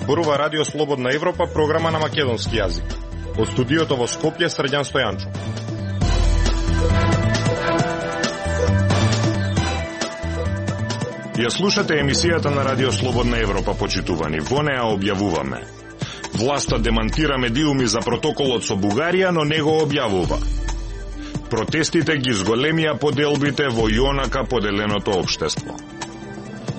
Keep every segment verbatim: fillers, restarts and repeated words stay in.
зборува Радио Слободна Европа, програма на македонски јазик. Од студиото во Скопје, Срđan Стојанчо. Ја слушате емисијата на Радио Слободна Европа, почитувани. Во неа објавуваме: власта демантира медиуми за протоколот со Бугарија, но не го објавува. Протестите ги зголемија поделбите во јонака поделеното општество.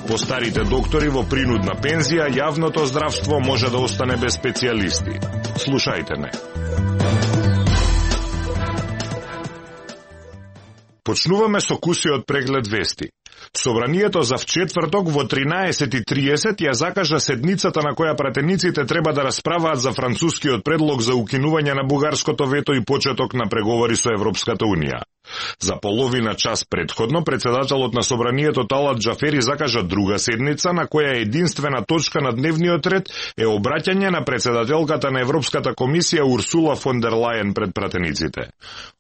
По старите доктори во принудна пензија, јавното здравство може да остане без специјалисти. Слушајте не. Почнуваме со кусиот преглед вести. Собранието за вчетврток во тринаесет и триесет ја закажа седницата на која пратениците треба да расправаат за францускиот предлог за укинување на бугарското вето и почеток на преговори со Европската Унија. За половина час предходно, председателот на собранието Талат Джафери закажа друга седница на која единствена точка на дневниот ред е обраќање на председателката на Европската комисија Урсула фон дер Лајен пред пратениците.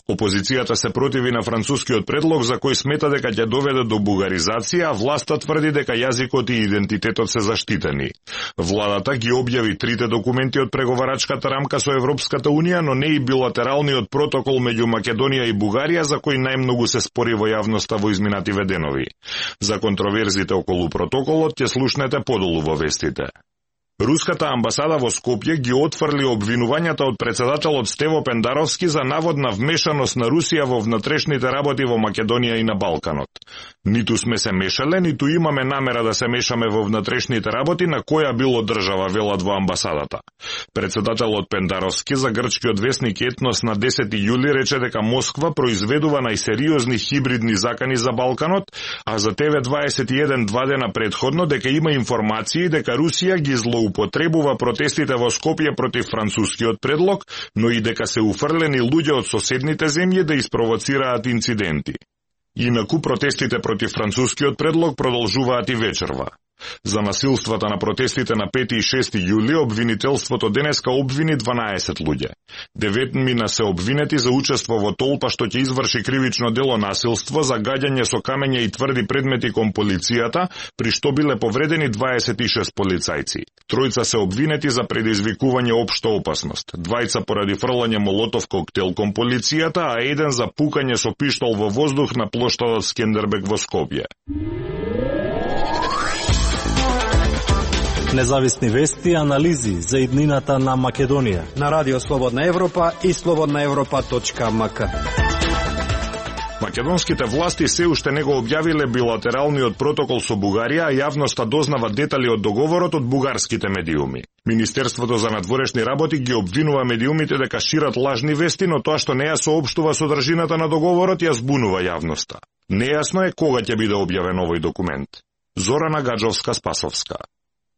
Опозицијата се противи на францускиот предлог за кој смета дека ќе доведе до бугаризација, а власта тврди дека јазикот и идентитетот се заштитени. Владата ги објави трите документи од преговарачката рамка со Европската Унија, но не и билатералниот протокол меѓу Македонија и Бугарија, за кој најмногу се спори во јавноста во изминативе денови. За контроверзите околу протоколот ќе слушнете подолу во вестите. Руската амбасада во Скопје ги отфрли обвинувањата од председателот Стево Пендаровски за наводна вмешаност на Русија во внатрешните работи во Македонија и на Балканот. Ниту сме се мешале, ниту имаме намера да се мешаме во внатрешните работи на која било држава, велат во амбасадата. Председателот Пендаровски за грчкиот весник Етнос на десети јули рече дека Москва произведува најсериозни хибридни закани за Балканот, а за Те Ве дваесет и еден два дена предходно дека има информации дека Русија ги злоупотребува протестите во Скопје против францускиот предлог, но и дека се уфрлени луѓе од соседните земји да испровоцираат инциденти. Инаку протестите против францускиот предлог продолжуваат и вечерва. За насилствата на протестите на пети и шести јули обвинителството денеска обвини дванаесет луѓе. Деветмина се обвинети за учество во толпа што ќе изврши кривично дело насилство, за гаѓање со камења и тврди предмети кон полицијата, при што биле повредени дваесет и шест полицајци. Тројца се обвинети за предизвикување општа опасност, двајца поради фрлање молотов коктел кон полицијата, а еден за пукање со пиштол во воздух на плоштадот Скендербег во Скопје. Независни вести и анализи за иднината на Македонија на Радио Слободна Европа и слободна европа точка ем ка. Македонските власти се уште не го објавиле билатералниот протокол со Бугарија, а јавноста дознава детали од договорот од бугарските медиуми. Министерството за надворешни работи ги обвинува медиумите дека шират лажни вести, но тоа што не ја соопштува содржината на договорот ја збунува јавноста. Нејасно е кога ќе биде објавен овој документ. Зорана Гаджовска-Спасовска.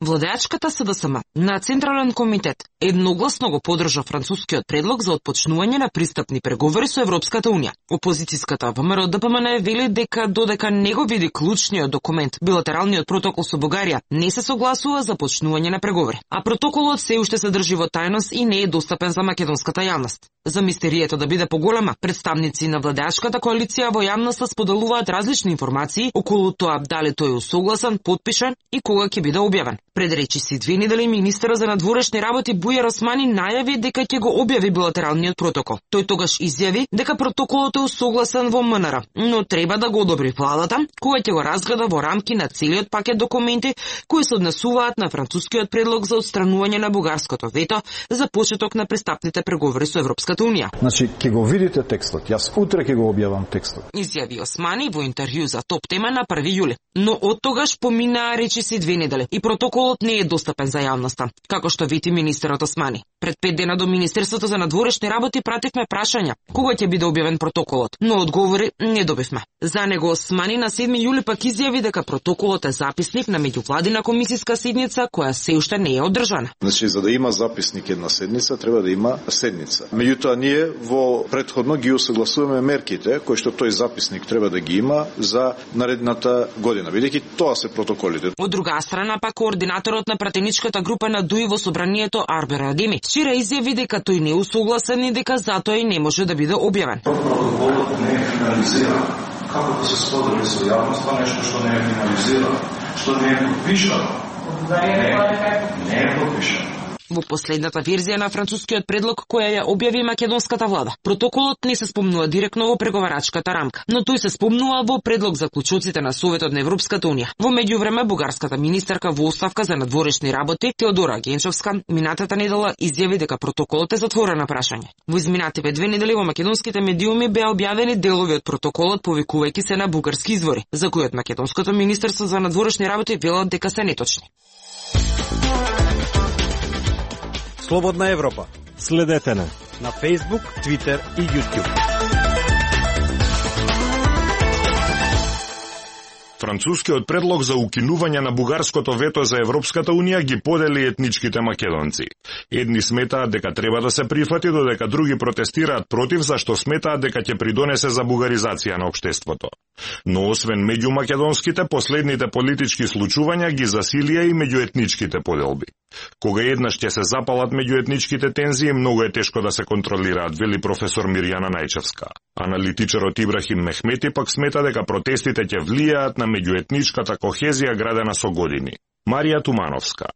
Владеачката С В С М на Централен комитет едногласно го подржа францускиот предлог за отпочнување на пристапни преговори со Европската Унија. Опозицијската Вэ М Р Д П М Н вели дека додека не го види клучниот документ, билатералниот протокол со Бугарија, не се согласува за почнување на преговори, а протоколот се уште се држи во тајност и не е достапен за македонската јавност. За мистерието да биде поголема, представници на владеачката коалиција во јавноста споделуваат различни информации околу тоа дали тој е усогласен, потпишан и кога ќе биде објавен. Пред речиси две недели министерот за надворешни работи Бујар Османи најави дека ќе го објави билатералниот протокол. Тој тогаш изјави дека протоколот е усогласен во М Н Р, но треба да го одобри владата, која ќе го разгледа во рамки на целиот пакет документи кои се однесуваат на францускиот предлог за отстранување на бугарското вето за почеток на пристапните преговори со Европската Унија. Значи, ќе го видите текстот. Јас утре ќе го објавам текстот. Изјави Османи во интервју за Топ Тема на први јули. Но од тогаш поминаа речиси две недели и протоколот не е достапен за јавноста, како што вети министерот Османи. Пред пет дена до Министерството за надворешни работи пративме прашања кога ќе биде објавен протоколот, но одговори не добивме. За него Османи на седми јули пак изјави дека протоколот е записник на меѓувладина комисиска седница која се уште не е одржана. Значи, за да има записник една седница, треба да има седница. Меѓутоа, ние во предходно ги усогласуваме мерките кои што тој записник треба да ги има за наредната година, бидејќи тоа се протоколите. Од друга страна пак координаторот на пратеничката група на ДУИ во собранието Арбер Адеми вчера изјави дека тој не е усогласен и дека затоа и не може да биде објавен. Протоколот не е финализиран. Како да се сподели со јавноста нешто што не е финализирано, што не е подпишано? Не е подпишано. Во последната верзија на францускиот предлог која ја објави македонската влада, протоколот не се спомнува директно во преговарачката рамка, но тој се спомнува во предлог за клучоците на Советот на Европската унија. Во меѓувреме бугарската министерка во оставка за надворешни работи Теодора Генчовска минатата недела изјави дека протоколот е затворено прашање. Во изминативе две недели во македонските медиуми беа објавени делови од протоколот повикувајќи се на бугарски извори, за кои од македонското министерство за надворешни работи велат дека се неточни. Слободна Европа. Следете на на Facebook, Twitter и YouTube. Францускиот предлог за укинување на бугарското вето за Европската унија ги подели етничките македонци. Едни сметаат дека треба да се прифати, додека други протестираат против, зашто сметаат дека ќе придонесе за бугаризација на општеството. Но освен меѓу македонските, последните политички случувања ги засилија и меѓуетничките поделби. Кога еднаш ќе се запалат меѓуетничките тензии, многу е тешко да се контролираат, вели професор Мирјана Најчевска. Аналитичарот Ибрахим Мехмети пак смета дека протестите ќе влијаат на меѓуетничката кохезија градена со години. Марија Тумановска.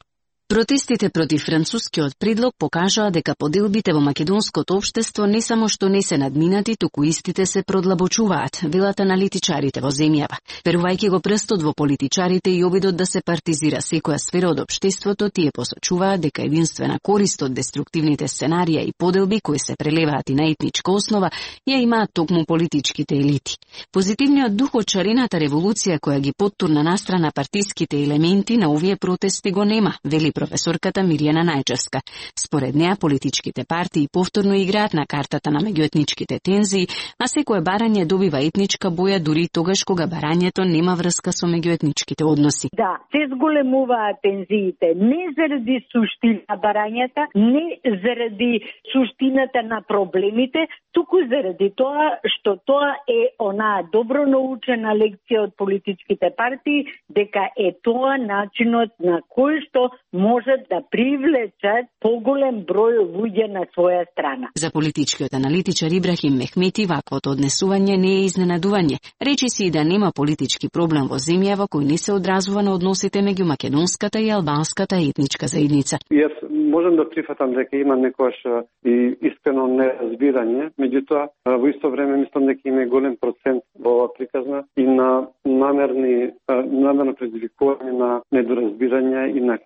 Протестите против францускиот предлог покажаа дека поделбите во македонското општество не само што не се надминати, туку истите се продлабочуваат, велат аналитичарите во земјава. Верувајќи го прстот во политичарите и обидот да се партизира секоја сфера од општеството, тие посочуваат дека единствена корист од деструктивните сценарија и поделби кои се прелеваат и на етничка основа ја имаат токму политичките елити. Позитивниот дух од шарената револуција која ги поттурна настрана партиските елементи на овие протести го нема, вели професорката Мирјана Најчевска. Според неа, политичките партии повторно играат на картата на меѓуетничките тензии, а секое барање добива етничка боја дури тогаш кога барањето нема врска со меѓуетничките односи. Да, се зголемуваат тензиите не заради суштина на барањата, не заради суштината на проблемите, туку заради тоа што тоа е онаа добро научена лекција од политичките партии, дека е тоа начинот на кој што можат да привлечат поголем број луѓе на своја страна. За политичкиот аналитичар Ибрахим Мехмети ваквото однесување не е изненадување. Речи си и да нема политички проблем во земјава кој не се одразува на односите меѓу македонската и албанската етничка заедница. Јас можам да прифатам дека има некојаш и искрено неразбирање, меѓутоа во исто време мислам дека има голем процент во оваа приказна и на намерни намерно предизвикување на недоразбирање и на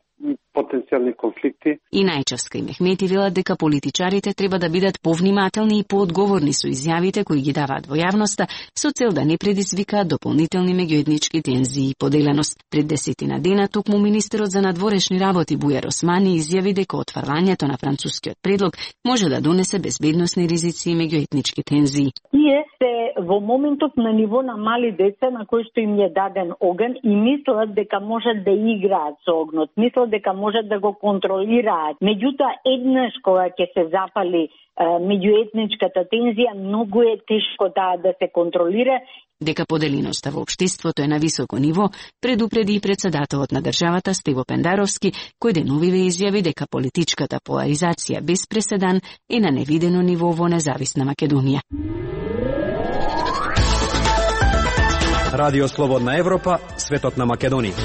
потенцијални конфликти. И Најчевска и Мехмети велат дека политичарите треба да бидат повнимателни и поодговорни со изјавите кои ги даваат во јавноста со цел да не предизвикаат дополнителни меѓуетнички тензии и поделеност. Пред десетина дена токму министерот за надворешни работи Бујар Османи изјави дека отфрлањето на францускиот предлог може да донесе безбедносни ризици и меѓуетнички тензии. Тие се во моментов на ниво на мали деца на кои што им е даден оган и мислат дека можат да играат со огнот. Мислат дека можат да го контролираат. Меѓутоа, еднаш кога ќе се запали е, меѓуетничката тензија, многу е тешко таа да се контролира. Дека поделеноста во општеството е на високо ниво, предупреди и председателот на државата Стево Пендаровски, кој деновиве изјави дека политичката поларизација без преседан е на невидено ниво во независна Македонија. Радио Слободна Европа, светот на Македонија.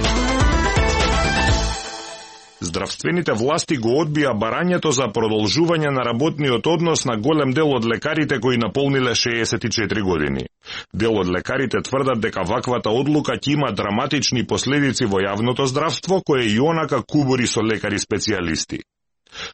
Здравствените власти го одбија барањето за продолжување на работниот однос на голем дел од лекарите кои наполниле шеесет и четири години. Дел од лекарите тврдат дека ваквата одлука ќе има драматични последици во јавното здравство, кое и онака кубури со лекари специјалисти.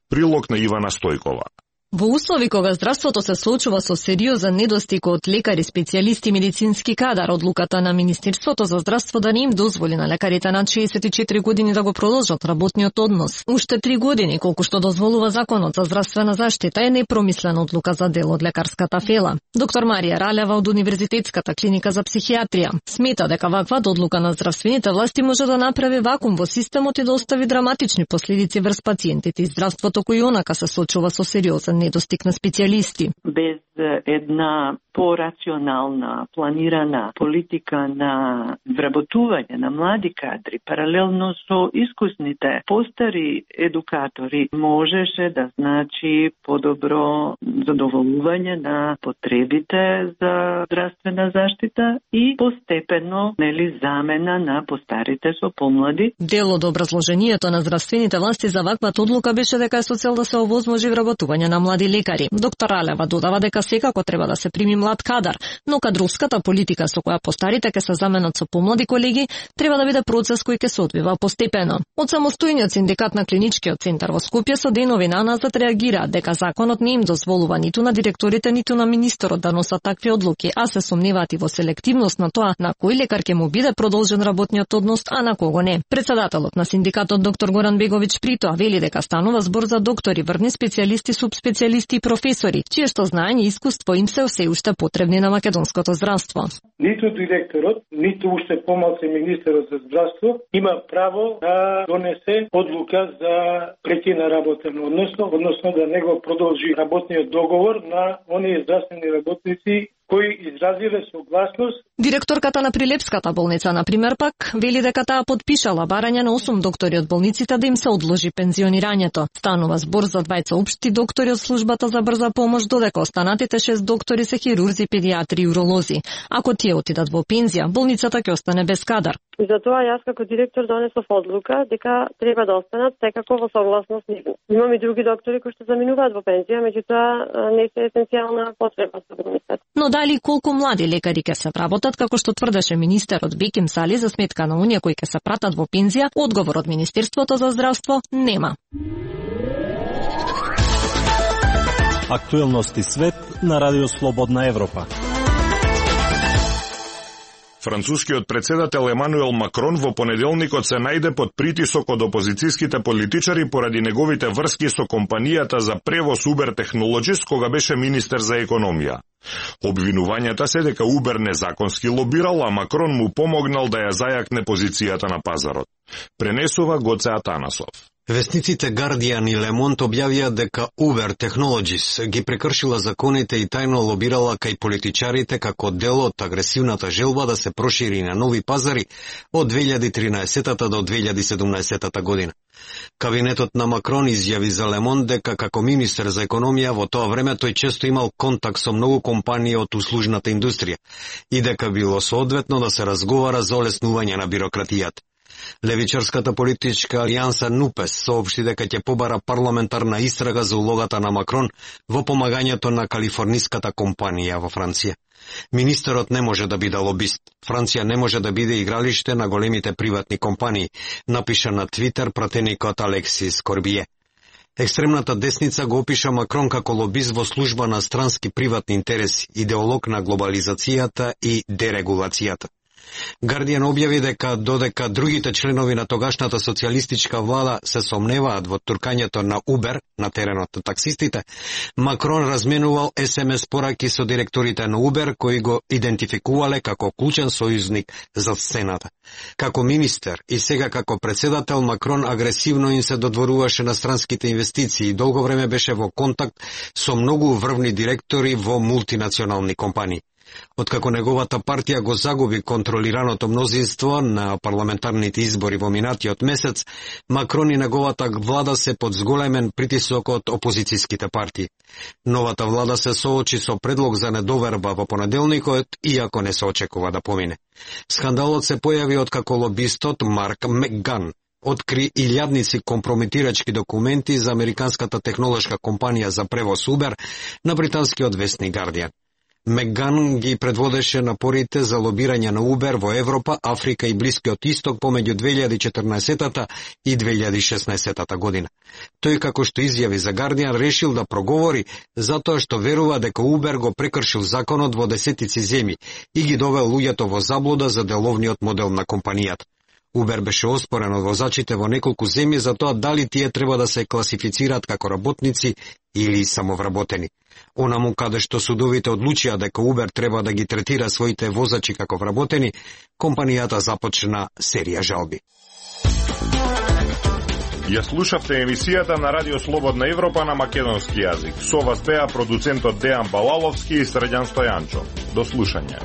Прилог на Ивана Стојкова. Во услови кога здравството се соочува со сериозен недостиг од лекари, специјалисти и медицински кадар, одлуката на Министерството за здравство да не им дозволи на лекарите над шеесет и четири години да го продолжат работниот однос уште три години, колку што дозволува Законот за здравствена заштита, е непромислена одлука за дел од лекарската фела. Доктор Марија Ралева од Универзитетската клиника за психијатрија смета дека ваква одлука на здравствените власти може да направи вакуум во системот и да остави драматични последици врз пациентите и здравството кој онака се соочува со сериозен недостиг на специјалисти. Без една порационална, планирана политика на вработување на млади кадри, паралелно со искусните постари едукатори, можеше да значи подобро задоволување на потребите за здравствена заштита и постепено, нели, замена на постарите со помлади. Дел од образложението на здравствените власти за ваквата одлука беше дека е со цел да се овозможи вработување на млади лекари. Доктор Алева додава дека секако треба да се прими млад кадар, но кадровската политика со која постарите ќе се заменат со помлади колеги треба да биде процес кој ќе се одвива постепено. Од самостојниот синдикат на Клиничкиот центар во Скопје со денови наназад реагираат дека законот не им дозволува ниту на директорите, ниту на министерот да носат такви одлуки, а се сомневаат и во селективност на тоа на кој лекар ќе му биде продолжен работниот однос, а на кого не. Председателот на синдикатот доктор Горан Беговиќ притоа вели дека станува збор за доктори, врвни специјалисти, субспецијалисти и професори, чие што знаење и искуство им се се уште потребни на македонското здравство. Ниту директорот, ниту уште помалку министерот за здравство има право да донесе одлука за прекина работен односно, односно да не го продолжи работниот договор на оние здравствени работници кои изразиле согласност. Директорката на Прилепската болница, например, пак, вели дека таа подпишала барање на осум доктори од болниците да им се одложи пензионирањето. Станува збор за двајца општи доктори од службата за брза помош, додека останатите шест доктори се хирурзи, педиатри и уролози. Ако тие отидат во пензија, болницата ќе остане без кадар. И затоа јас како директор донесов одлука дека треба да останат секако во согласност с нив. Имам и други доктори кои што заминуваат во пензија, меѓутоа не се есенцијална потреба за болницата. Но дали колку млади лекари ќе се вработат, како што тврдеше министерот Беким Сали за сметка на оние кои ќе се пратат во пензија, одговор од Министерството за здравство нема. Актуелности свет на Радио Слободна Европа. Францускиот председател Емануел Макрон во понеделникот се најде под притисок од опозицијските политичари поради неговите врски со компанијата за превоз Uber Technologies кога беше министер за економија. Обвинувањата се дека Uber незаконски лобирал, а Макрон му помогнал да ја зајакне позицијата на пазарот. Пренесува Гоце Атанасов. Вестниците Guardian и Le Monde објавија дека Uber Technologies ги прекршила законите и тајно лобирала кај политичарите како дел од агресивната желба да се прошири на нови пазари од две илјади и тринаесета до две илјади и седумнаесета година. Кабинетот на Макрон изјави за Le Monde дека како министер за економија во тоа време тој често имал контакт со многу компании од услужната индустрија и дека било соодветно да се разговара за олеснување на бирократијата. Левичарската политичка алијанса НУПЕС соопшти дека ќе побара парламентарна истрага за улогата на Макрон во помагањето на калифорниската компанија во Франција. Министерот не може да биде лобист. Франција не може да биде игралиште на големите приватни компании, напиша на Твитер пратеникот Алексис Корбие. Екстремната десница го опиша Макрон како лобист во служба на странски приватни интереси, идеолог на глобализацијата и дерегулацијата. Guardian објави дека додека другите членови на тогашната социјалистичка влада се сомневаат во туркањето на Uber на теренот на таксистите, Макрон разменувал ес ем ес пораки со директорите на Uber кои го идентификувале како клучен сојузник за сцената. Како министер и сега како председател, Макрон агресивно им се додворуваше на странските инвестиции и долго време беше во контакт со многу врвни директори во мултинационални компании. Откако неговата партија го загуби контролираното мнозинство на парламентарните избори во минатиот месец, Макрон и неговата влада се под зголемен притисок од опозицијските партии. Новата влада се соочи со предлог за недоверба во понеделникот, иако не се очекува да помине. Скандалот се појави откако лобистот Марк Мекган откри илјадници компрометирачки документи за американската технолошка компанија за превоз Uber на британскиот вестник Guardian. Мекган ги предводеше напорите за лобирање на Uber во Европа, Африка и Блискиот Исток помеѓу две илјади и четрнаесета и две илјади и шеснаесета година. Тој, како што изјави за Guardian, решил да проговори затоа што верува дека Uber го прекршил законот во десетици земји и ги довел луѓето во заблуда за деловниот модел на компанијата. Uber беше оспорен од возачите во неколку земји за тоа дали тие треба да се класифицираат како работници или самовработени. Онаму каде што судовите одлучија дека Uber треба да ги третира своите возачи како вработени, компанијата започна серија жалби. Ја слушавте емисијата на Радио Слободна Европа на македонски јазик. Со вас беа продуцентот Дејан Балаловски и Срđan Стојанчо. До слушање.